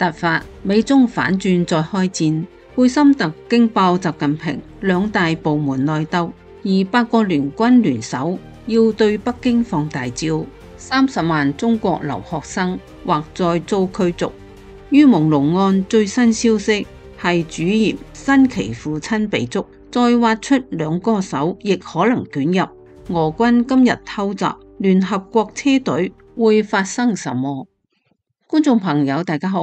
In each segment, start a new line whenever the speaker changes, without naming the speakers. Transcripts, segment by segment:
突發，美中反轉再開戰，貝森特驚爆習近平，兩大部門內鬥，而八國聯軍聯手要對北京放大招，30萬中國留學生或再遭驅逐。於朦朧案最新消息係主嫌新奇父親被捉，再挖出兩歌手亦可能捲入。俄軍今日偷襲聯合國車隊，會發生什麼？觀眾朋友大家好，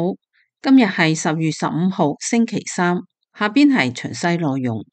今日係10月15號星期三，下邊係詳細內容。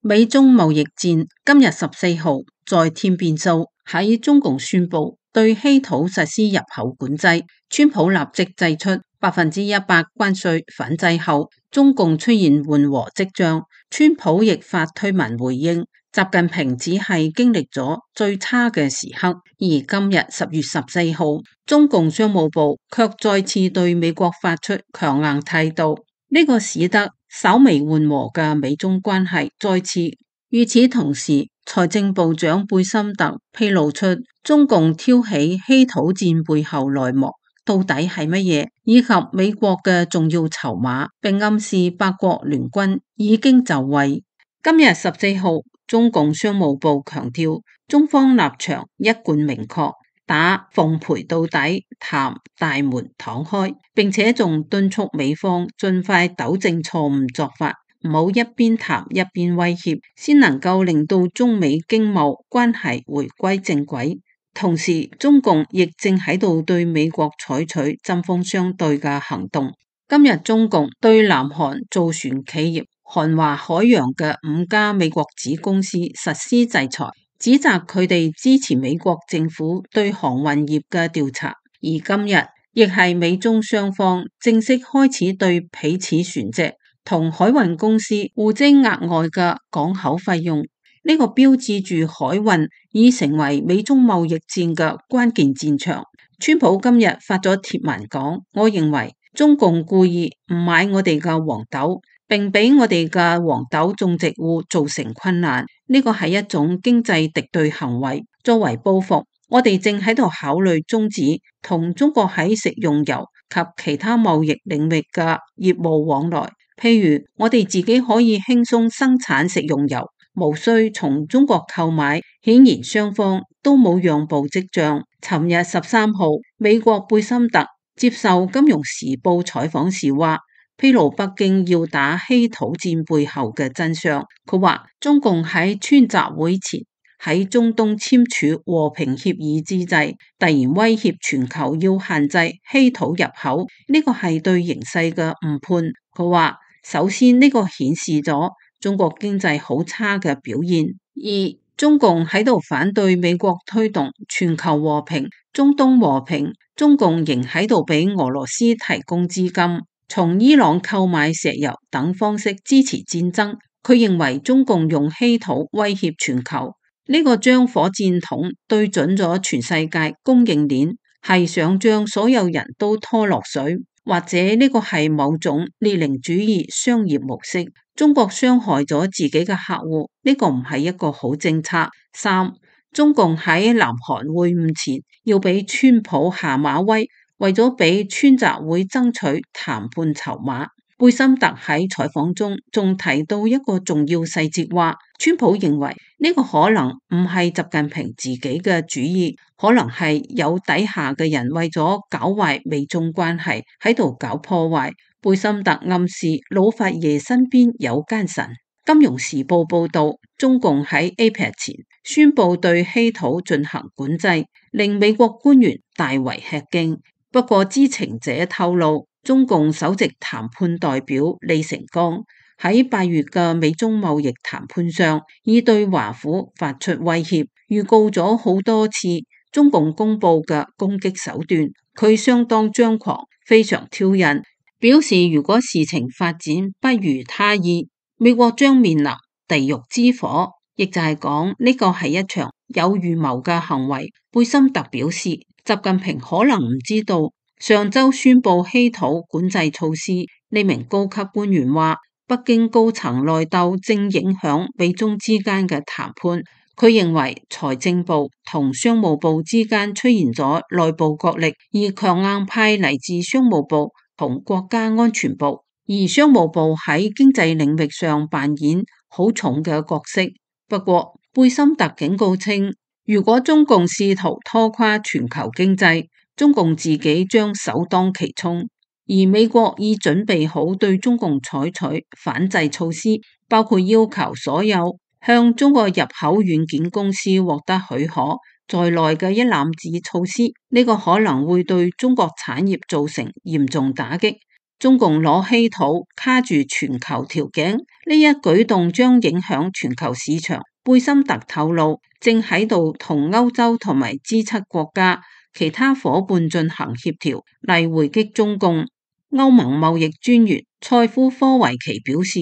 美中貿易戰今日14號再添變數，喺中共宣布對稀土實施入口管制，川普立即祭出100%關稅反制後，中共出現緩和跡象，川普亦發推文回應。習近平只係經歷咗最差嘅時刻，而今日10月14號，中共商務部卻再次對美國發出強硬態度，呢個使得稍微緩和嘅美中關係再次。與此同時，財政部長貝森特披露出中共挑起稀土戰背後內幕到底係乜嘢，以及美國嘅重要籌碼，並暗示八國聯軍已經就位。今日14號，中共商務部強調，中方立場一貫明確，打奉陪到底，談大門敞開，並且仲敦促美方盡快糾正錯誤作法，唔好一邊談一邊威脅，先能夠令到中美經貿關係回歸正軌。同時，中共亦正喺度對美國採取針鋒相對嘅行動。今日中共對南韓造船企業韓華海洋嘅5家美國子公司實施制裁，指責佢哋支持美國政府對航運業嘅調查。而今日亦係美中雙方正式開始對彼此船隻同海運公司互徵額外嘅港口費用，呢個標誌住海運已成為美中貿易戰嘅關鍵戰場。川普今日發咗貼文講，我認為中共故意唔買我哋嘅黃豆，並俾我哋嘅黃豆種植戶造成困難，呢個係一種經濟敵對行為。作為報復，我哋正喺度考慮終止同中國喺食用油及其他貿易領域嘅業務往來。譬如我哋自己可以輕鬆生產食用油，無需從中國購買。顯然雙方都冇讓步跡象。尋日13號，美國貝森特接受《金融時報》採訪時話，披露北京要打稀土戰背後嘅真相。佢話中共喺川習會前喺中東簽署和平協議之際，突然威脅全球要限制稀土入口，呢個係對形勢嘅誤判。佢話首先呢個顯示咗中國經濟好差嘅表現，而中共喺度反對美國推動全球和平、中東和平，中共仍喺度俾俄羅斯提供資金，從伊朗購買石油等方式支持戰爭。佢認為中共用稀土威脅全球，呢個將火箭筒對準咗全世界供應鏈，係想將所有人都拖落水，或者呢個係某種列寧主義商業模式。中國傷害咗自己嘅客戶，呢個唔係一個好政策。3. 中共喺南韓會晤前要俾川普下馬威，為咗俾川習會爭取談判籌碼。貝森特喺採訪中仲提到一個重要細節，話川普認為呢個可能唔係習近平自己嘅主意，可能係有底下嘅人為咗搞壞美中關係喺度搞破壞。貝森特暗示老佛爺身邊有奸臣。金融時報報道，中共喺 APEC 前宣布對稀土進行管制，令美國官員大為吃驚。不過知情者透露，中共首席談判代表李成鋼喺8月嘅美中貿易談判上，已對華府發出威脅，預告咗好多次中共公布嘅攻擊手段。佢相當張狂，非常挑釁，表示如果事情發展不如他意，美國將面臨地獄之火，亦就係講呢個係一場有預謀嘅行為。貝森特表示，習近平可能唔知道上周宣布稀土管制措施。呢名高級官員話，北京高層內鬥正影響美中之間嘅談判，佢認為財政部同商務部之間出現咗內部角力，而強硬派嚟自商務部同國家安全部，而商務部喺經濟領域上扮演好重嘅角色。不過，貝森特警告稱，如果中共試圖拖垮全球經濟，中共自己將首當其衝。而美國已準備好對中共採取反制措施，包括要求所有向中國入口軟件公司獲得許可在內嘅一攬子措施，呢個可能會對中國產業造成嚴重打擊。中共攞稀土卡住全球條頸，呢一舉動將影響全球市場。貝森特透露，正喺度同歐洲同埋 G7 國家其他伙伴進行協調，嚟回擊中共。歐盟貿易專員塞夫科維奇表示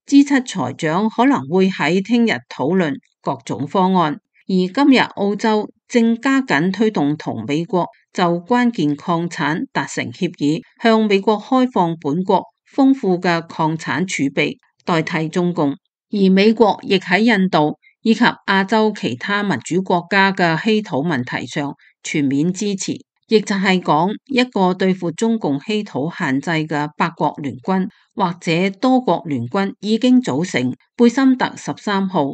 ，G7 財長可能會喺聽日討論各種方案，而今日澳洲正加緊推動同美國就關鍵礦產達成協議，向美國開放本國豐富嘅礦產儲備，代替中共。而美國亦喺印度以及亞洲其他民主國家嘅稀土問題上全面支持。亦就係講，一個對付中共稀土限制嘅8國聯軍或者多國聯軍已經組成。貝森特13號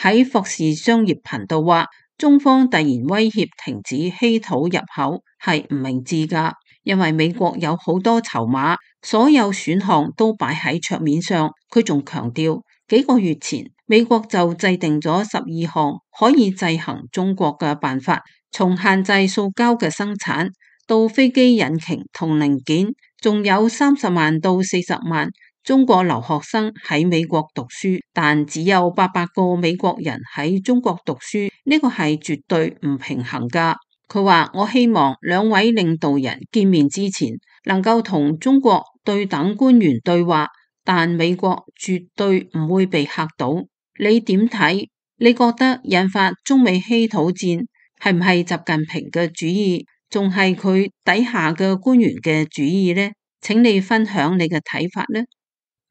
喺霍士商業頻道話，中方突然威脅停止稀土入口係唔明智㗎，因為美國有好多籌碼，所有選項都擺喺桌面上。佢仲強調，幾個月前美國就制定咗12項可以制衡中國嘅辦法。從限制塑膠嘅生產到飛機引擎同零件，仲有30萬到40萬中國留學生喺美國讀書，但只有800個美國人喺中國讀書，呢個係絕對唔平衡㗎。佢話，我希望兩位領導人見面之前能夠同中國對等官員對話，但美國絕對唔會被嚇到。你點睇？你覺得引發中美稀土戰係唔係習近平嘅主意，仲係佢底下嘅官員嘅主意呢？請你分享你嘅睇法呢？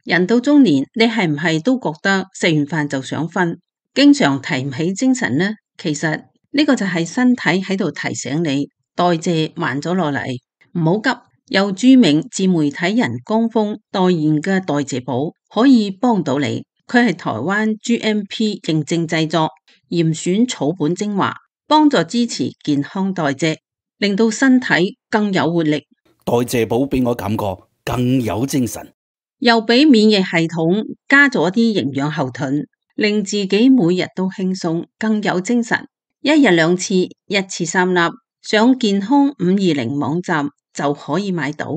人到中年，你係唔係都覺得食完飯就想瞓，經常提唔起精神呢？其實呢個就係身體喺度提醒你，代謝慢咗落嚟，唔好急。由著名自媒體人江峰代言嘅代謝寶可以幫到你，佢係台灣 GMP 認證製作，嚴選草本精華，幫助支持健康代謝，令到身體更有活力。
代謝寶俾我感覺更有精神，
又俾免疫系統加咗啲營養後盾，令自己每日都輕鬆，更有精神。一日2次，一次3粒，上健康520網站就可以買到。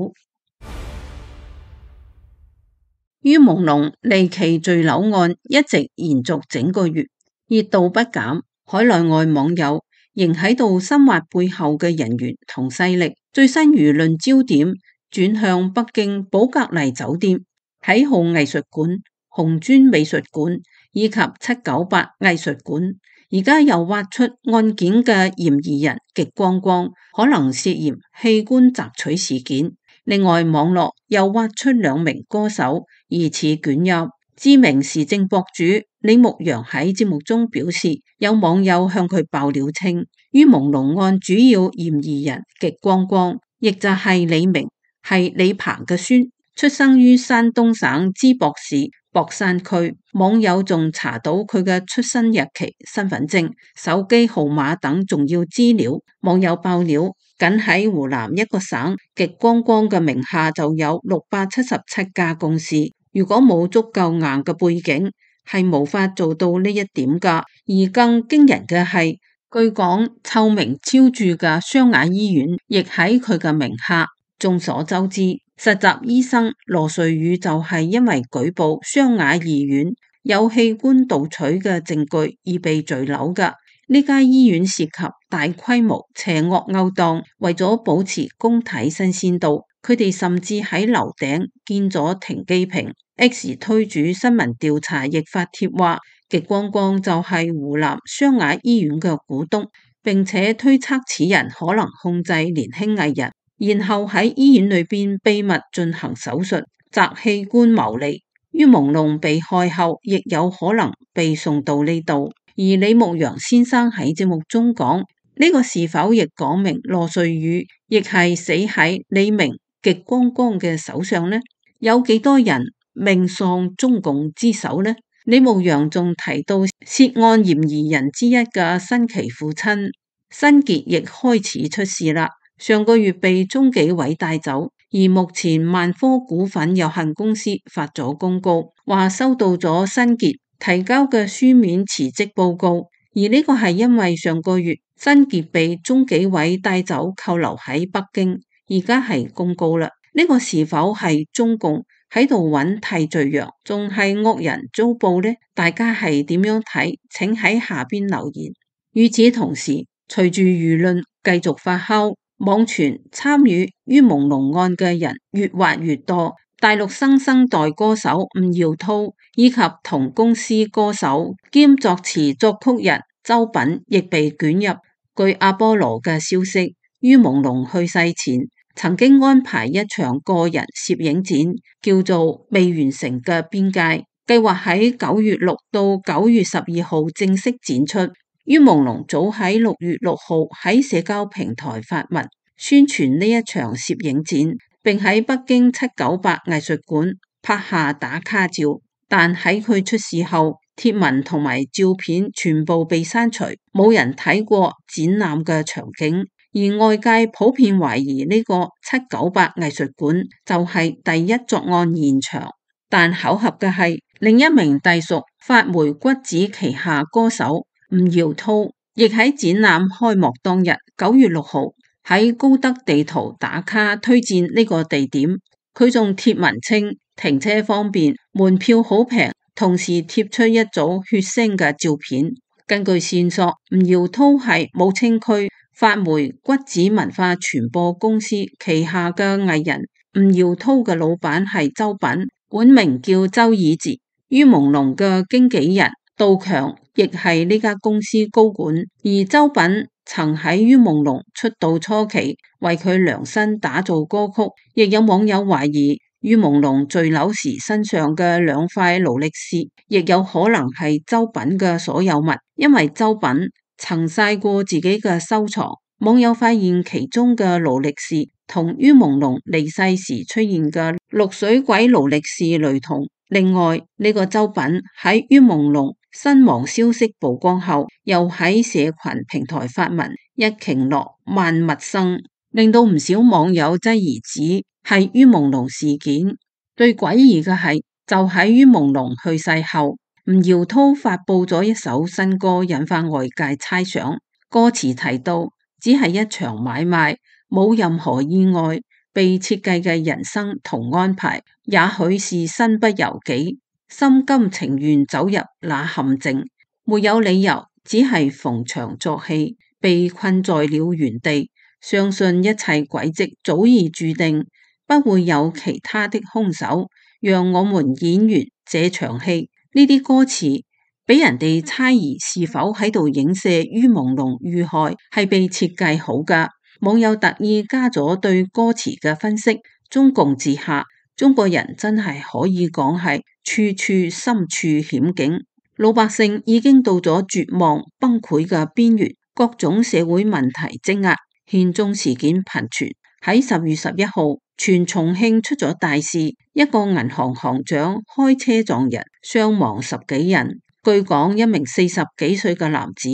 於朦朧離奇墜樓案一直延續整個月，熱度不減。海內外網友仍喺度深挖背後嘅人員同勢力，最新輿論焦點轉向北京寶格麗酒店、啟浩藝術館、紅磚美術館以及798藝術館，而家又挖出案件嘅嫌疑人極光光，可能涉嫌器官摘取事件。另外，網絡又挖出2名歌手疑似捲入。知名時政博主李牧陽喺節目中表示，有網友向佢爆料稱，於朦朧案主要嫌疑人極光光，亦就係李明，係李鵬嘅孫，出生於山東省淄博市博山區。網友仲查到佢嘅出生日期、身份證、手機號碼等重要資料。網友爆料，僅喺湖南一個省，極光光嘅名下就有677家公司。如果冇足夠硬嘅背景，係無法做到呢一點㗎。而更驚人嘅係，據講臭名昭著嘅湘雅醫院亦喺佢嘅名下。眾所周知，實習醫生羅瑞宇就係因為舉報湘雅醫院有器官盜取嘅證據而被墜樓㗎。呢家醫院涉及大規模邪惡勾當，為咗保持公體新鮮度，佢哋甚至喺樓頂建咗停機坪。X 推主新聞調查亦發帖話，極光光就係湖南湘雅醫院嘅股東，並且推測此人可能控制年輕藝人，然後喺醫院裏邊秘密進行手術，摘器官牟利。於朦朧被害後，亦有可能被送到呢度。而李牧陽先生喺節目中講，呢個是否亦講明羅瑞宇亦係死喺李明極光光嘅手上呢？有幾多人命喪中共之手呢？李牧陽仲提到涉案嫌疑人之一嘅新奇父親新傑亦開始出事啦，上個月被中紀委帶走，而目前萬科股份有限公司發咗公告，話收到咗新傑提交嘅書面辭職報告，而呢個係因為上個月新傑被中紀委帶走扣留喺北京，而家係公告啦。呢個是否係中共喺度揾替罪羊，仲係惡人遭報呢？大家係點樣睇？請喺下邊留言。與此同時，隨住輿論繼續發酵，網傳參與于朦朧案嘅人越挖越多，大陸新生代歌手吳耀濤以及同公司歌手兼作詞作曲人周品亦被捲入。據阿波羅嘅消息，于朦朧去世前曾經安排一場個人攝影展，叫做未完成嘅邊界，計劃喺9月6到9月12號正式展出。于朦朧早喺6月6號喺社交平台發文宣傳呢一場攝影展，並喺北京798藝術館拍下打卡照，但喺佢出事後，貼文同埋照片全部被刪除，冇人睇過展覽嘅場景。而外界普遍懷疑呢個798藝術館就係第一作案現場，但巧合嘅係另一名隸屬發霉骨子旗下歌手吳耀濤，亦喺展覽開幕當日9月6號喺高德地圖打卡推薦呢個地點，佢仲貼文稱停車方便，門票好平，同時貼出一組血腥嘅照片。根據線索，吳耀濤係武清區發霉骨子文化傳播公司旗下嘅藝人，吳耀濤嘅老闆係周品，本名叫周以哲。于朦朧嘅經紀人杜強亦係呢家公司高管，而周品曾喺于朦朧出道初期為佢量身打造歌曲，亦有網友懷疑于朦朧墜樓時身上嘅2塊勞力士，亦有可能係周品嘅所有物，因為周品曾晒過自己嘅收藏，網友發現其中嘅勞力士同于朦朧離世時出現嘅綠水鬼勞力士雷同。另外呢個周品喺于朦朧身亡消息曝光後，又喺社群平台發文一頃落萬物生，令到唔少網友質疑指係于朦朧事件。最詭異嘅係，就喺于朦朧去世後，吳耀濤發佈咗一首新歌，引發外界猜想。歌詞提到只係一場買賣，冇任何意外，被設計嘅人生同安排，也許是身不由己，心甘情願走入那陷阱，沒有理由，只係逢場作戲，被困在了原地。相信一切軌跡早已注定，不會有其他的兇手，讓我們演完這場戲。呢啲歌詞俾人哋猜疑是否喺度影射于朦朧遇害係被設計好㗎。網友特意加咗對歌詞嘅分析，中共治下，中國人真係可以講係處處深處險境，老百姓已經到咗絕望崩潰嘅邊緣，各種社會問題積壓，憲宗事件頻傳。喺10月11號，全重慶出咗大事，一個銀行行長開車撞人，傷亡10幾人。據講，一名40幾歲嘅男子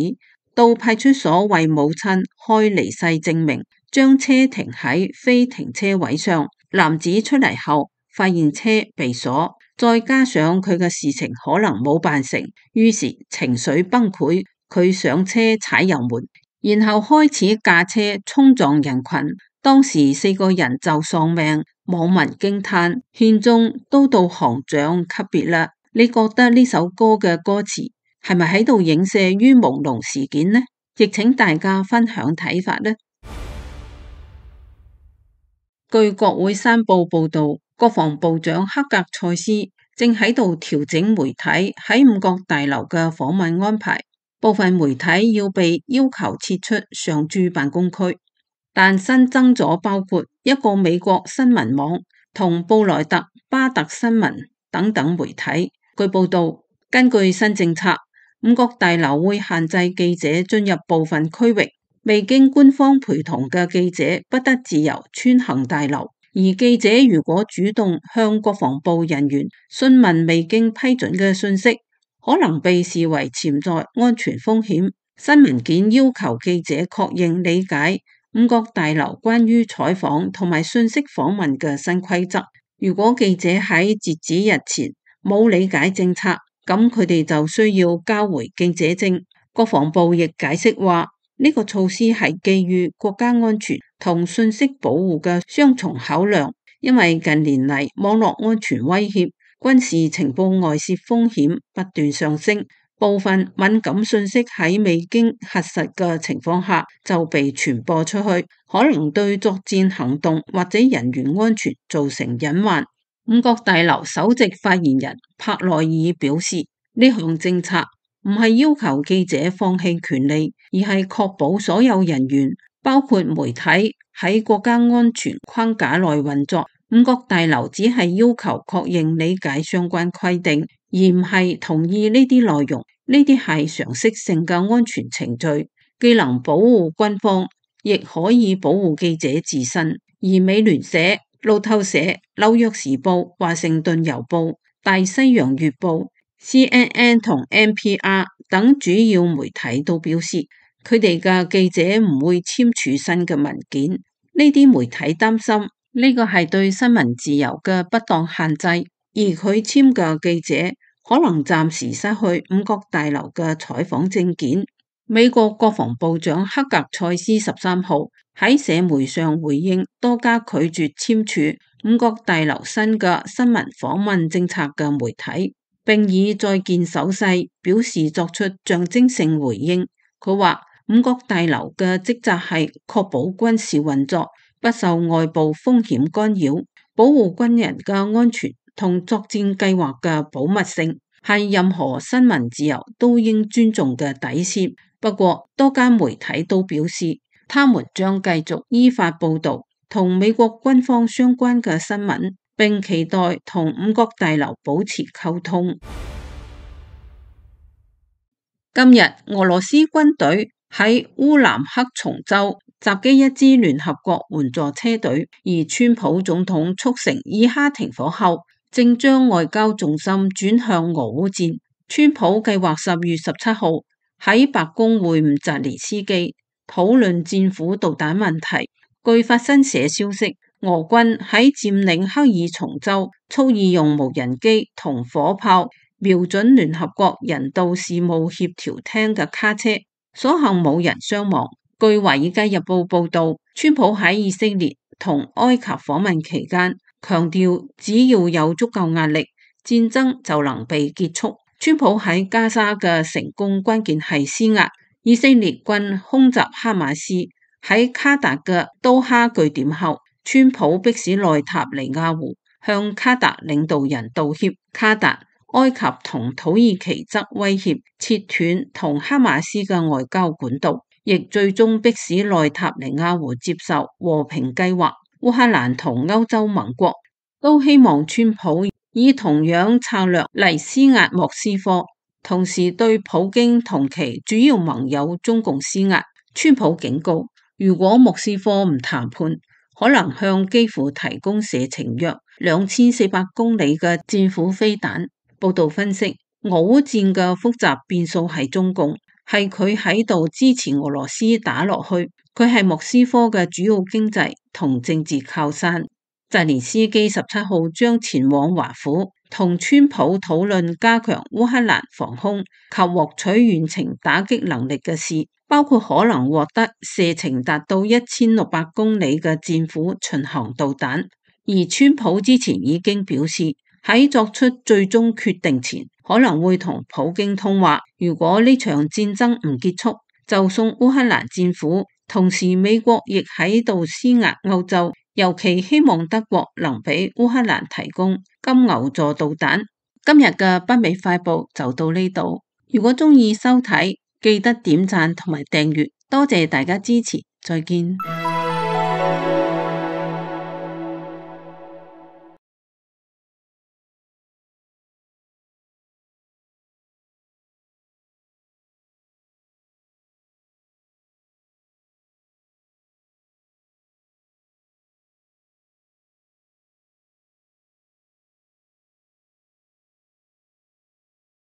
到派出所為母親開離世證明，將車停喺非停車位上。男子出嚟後發現車被鎖，再加上佢嘅事情可能冇辦成，於是情緒崩潰，佢上車踩油門，然後開始駕車衝撞人群。當時4個人就喪命，網民驚嘆憲宗都到行長級別啦。你覺得呢首歌嘅歌詞係咪喺度影射于朦朧事件呢？亦請大家分享睇法呢。據國會山報報道，國防部長克格塞斯正喺度調整媒體喺5角大樓嘅訪問安排，部分媒體要被要求撤出常駐辦公區，但新增咗包括一個美國新聞網同布萊特巴特新聞等等媒體。據報道，根據新政策，五角大樓會限制記者進入部分區域，未經官方陪同嘅記者不得自由穿行大樓。而記者如果主動向國防部人員詢問未經批准嘅信息，可能被視為潛在安全風險。新文件要求記者確認理解五角大樓關於採訪同埋信息訪問嘅新規則。如果記者喺截止日前冇理解政策，咁佢哋就需要交回記者證。國防部亦解釋話，呢個措施係基於國家安全同信息保護嘅雙重考量，因為近年嚟網絡安全威脅、軍事情報外泄風險不斷上升，部分敏感信息喺未經核實嘅情況下就被傳播出去，可能對作戰行動或者人員安全造成隱患。五角大樓首席發言人帕內爾表示，呢項政策唔係要求記者放棄權利，而係確保所有人員，包括媒體，喺國家安全框架內運作。五角大樓只係要求確認理解相關規定，而唔係同意呢啲內容。呢啲係常識性嘅安全程序，既能保護軍方，亦可以保護記者自身。而美聯社、路透社、紐約時報、華盛頓郵報、大西洋月報、CNN 同 NPR 等主要媒體都表示，佢哋嘅記者唔會簽署新嘅文件。呢啲媒體擔心呢個係對新聞自由嘅不當限制，而佢簽嘅記者可能暫時失去五角大樓嘅採訪證件。美國國防部長克格塞斯13號喺社媒上回應多家拒絕簽署五角大樓新嘅新聞訪問政策嘅媒體，並以再見手勢表示作出象徵性回應。佢話五角大樓嘅職責係確保軍事運作不受外部風險干擾，保護軍人嘅安全同作戰計劃嘅保密性，係任何新聞自由都應尊重嘅底線。不過，多間媒體都表示，他們將繼續依法報導同美國軍方相關嘅新聞，並期待同五角大樓保持溝通。今日，俄羅斯軍隊喺烏蘭克松州襲擊一支聯合國援助車隊，而川普總統促成以哈停火後，正將外交重心轉向俄烏戰。川普計劃10月17號喺白宮會晤澤連斯基，討論戰斧導彈問題。據法新社消息，俄軍喺佔領克爾松州，蓄意用無人機同火炮瞄準聯合國人道事務協調廳嘅卡車，所幸冇人傷亡。據華爾街日報報道，川普喺以色列同埃及訪問期間，強調只要有足夠壓力，戰爭就能被結束。川普喺加沙嘅成功關鍵係施壓。以色列軍空襲哈馬斯喺卡達嘅都哈據點後，川普迫使內塔尼亞胡向卡達領導人道歉。卡達、埃及同土耳其則威脅切斷同哈馬斯嘅外交管道，亦最終迫使內塔尼亞胡接受和平計劃。烏克蘭同歐洲盟國都希望川普以同樣策略嚟施壓莫斯科，同時對普京同其主要盟友中共施壓。川普警告，如果莫斯科唔談判，可能向基輔提供射程約2400公里嘅戰斧飛彈。報道分析，俄烏戰嘅複雜變數係中共，係佢喺度支持俄羅斯打落去，佢係莫斯科嘅主要經濟同政治靠山。澤連斯基17號將前往華府，同川普討論加強烏克蘭防空及獲取遠程打擊能力嘅事，包括可能獲得射程達到1600公里嘅戰斧巡航導彈。而川普之前已經表示，喺作出最終決定前，可能會同普京通話。如果呢場戰爭唔結束，就送烏克蘭戰斧。同時，美國亦喺度施壓歐洲，尤其希望德國能俾烏克蘭提供金牛座導彈。今日嘅北美快報就到呢度。如果鍾意收睇，記得點讚同埋訂閱。多謝大家支持，再見。